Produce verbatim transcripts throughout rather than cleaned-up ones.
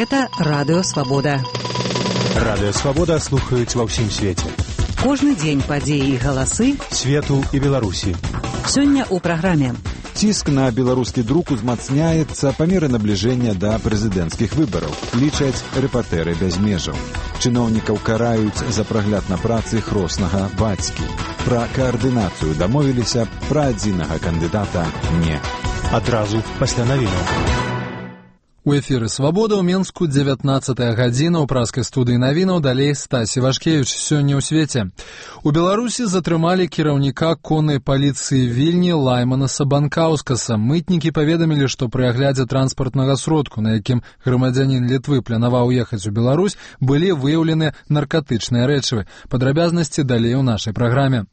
Гэта Радыё Свабода. Радыё Свабода слухаюць ва ўсім свеце. Кожны дзень падзеі і галасы свету і Беларусі. Сёння ў праграме. Ціск на беларускі друк узмацняецца па меры набліжэння да прэзідэнцкіх выбараў, лічаць рэпартэры без межаў. Чыноўнікаў караюць за прагляд на працы хроснага бацькі. Пра каардынацыю дамовіліся, пра адзінага кандыдата не. Адразу пасля навінаў. У эфіры «Свабода» ў Менску дзевятнаццатая гадзіна, ў праскай студыі навінаў, далей Стасі Вашкевіч. Сёння ў свеце. У Беларусі затрымалі кіраўніка коннай паліцыі Вільні Лайманаса Банкаўскаса. Мытнікі паведамілі, што пры аглядзе транспартнага сродку, на якім грамадзянін Літвы планаваў ехаць у Беларусь, былі выяўлены наркатычныя рэчывы. Падрабязнасці далей у нашай праграме.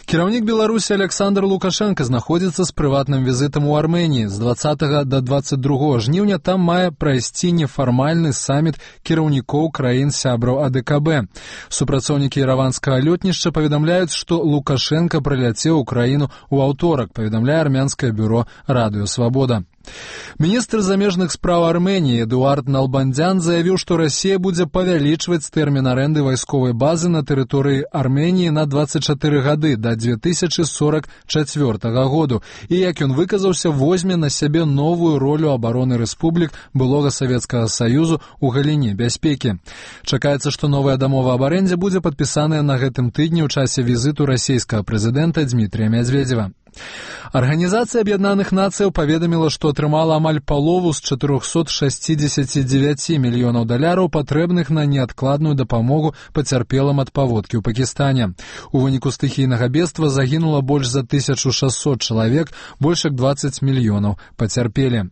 Кіраўнік Беларусі Александр Лукашенко знаходзіцца з прыватным візітам у Арменіі. З дваццатага да дваццаць другога жніўня там мае прайсці нефармальны саміт кіраўнікоў краін-сябраў А Д К Б. Супрацоўнікі іраванскага лётнішча паведамляюць, што Лукашенко прыляцеў у краіну ў аўторак, паведамляе армянскае бюро Радыё Свабода. Міністр замежных спраў Арменіі Эдуард Налбандзян заявіў, што Расія будзе павялічваць тэрмін арэнды вайсковай базы на тэрыторыі Арменіі на дваццаць чатыры гады да дзве тысячы сорак чацвёртага году і, як ён выказаўся, возьме на сябе новую ролю абароны рэспублік былога Савецкага Саюзу ў галіне бяспекі. Чакаецца, што новая дамова аб арэндзе будзе падпісаная на гэтым тыдні ў часе візіту расійскага прэзідэнта Дмітрія Мядзведзева. Арганізацыя Аб'яднаных Нацыяў паведаміла, што атрымала амаль палову з чатырохсот шасцідзесяці дзевяці мільёнаў даляраў, патрэбных на неадкладную дапамогу пацярпелым ад паводкі ў Пакістане. У выніку стыхійнага бедства загінула больш за тысячу шасцьсот чалавек, больш як дваццаць мільёнаў пацярпелі.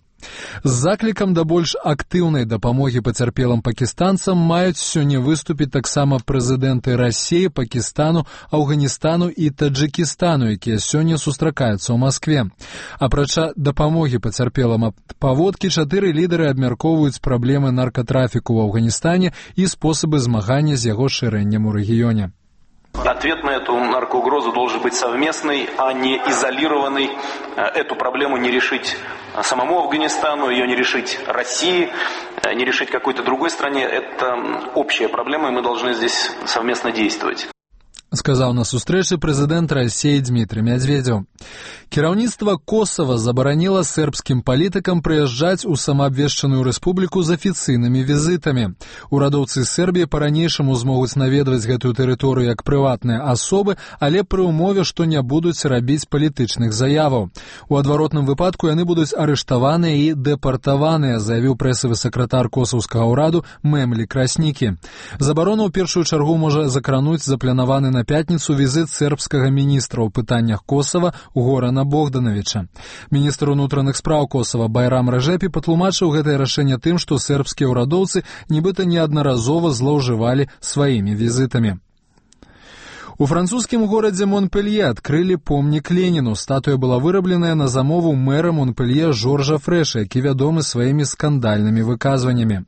З заклікам да больш актыўнай дапамогі пацярпелым пакістанцам маюць сёння выступіць таксама прэзідэнты Расіі, Пакістану, Афганістану і Таджыкістану, якія сёння сустракаюцца ў Маскве. Апрача дапамогі пацярпелым ад паводкі, чатыры лідары абмяркоўваюць праблемы наркатрафіку ў Афганістане і спосабы змагання з яго шырэннем у рэгіёне. Ответ на эту наркоугрозу должен быть совместный, а не изолированный. Эту проблему не решить самому Афганистану, ее не решить России, не решить какой-то другой стране. Это общая проблема, и мы должны здесь совместно действовать. Сказаў на сустрэчы прэзідэнт Расіі Дмітрий Мядзведзеў. Кіраўніцтва Косава забараніла сербскім палітыкам прыязджаць у самаабвешчаную рэспубліку з афіцыйнымі візітамі. Урадоўцы Сербіі па-ранейшаму змогуць наведваць гэтую тэрыторыю як прыватныя асобы, але пры ўмове, што не будуць рабіць палітычных заяваў. У адваротным выпадку яны будуць арыштаваныя і дэпартаваныя, заявіў прэсавы сакратар косаўскага ўраду Мемлі Краснікі. Забарона ў першую чаргу можа закрануць запланаваны на пятніцу візіт сербскага міністра ў пытаннях Косава Горана Богдановича. Міністр унутраных спраў Косава Байрам Рэжэпі патлумачыў гэтае рашэнне тым, што сербскія ўрадоўцы нібыта неаднаразова злоўжывалі сваімі візітамі. У французскім горадзе Монпелье адкрылі помнік Леніну. Статуя была вырабленая на замову мэра Монпелье Жоржа Фрэша, які вядомы сваімі скандальнымі выказваннямі.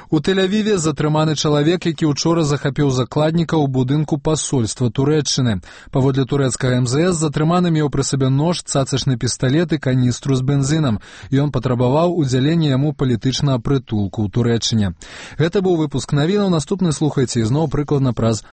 У Тель-Авіве затрыманы чалавек, які ўчора захапіў закладніка ў будынку пасольства Турэччыны. Паводле турэцкага эм зэ эс затрыманы меў пры сабе нож, цацачны пісталет і каністру з бензінам. Ён патрабаваў удзялення яму палітычнага прытулку ў Турэччыне. Гэта быў выпуск навінаў. Наступны слухайце ізноў прыкладна праз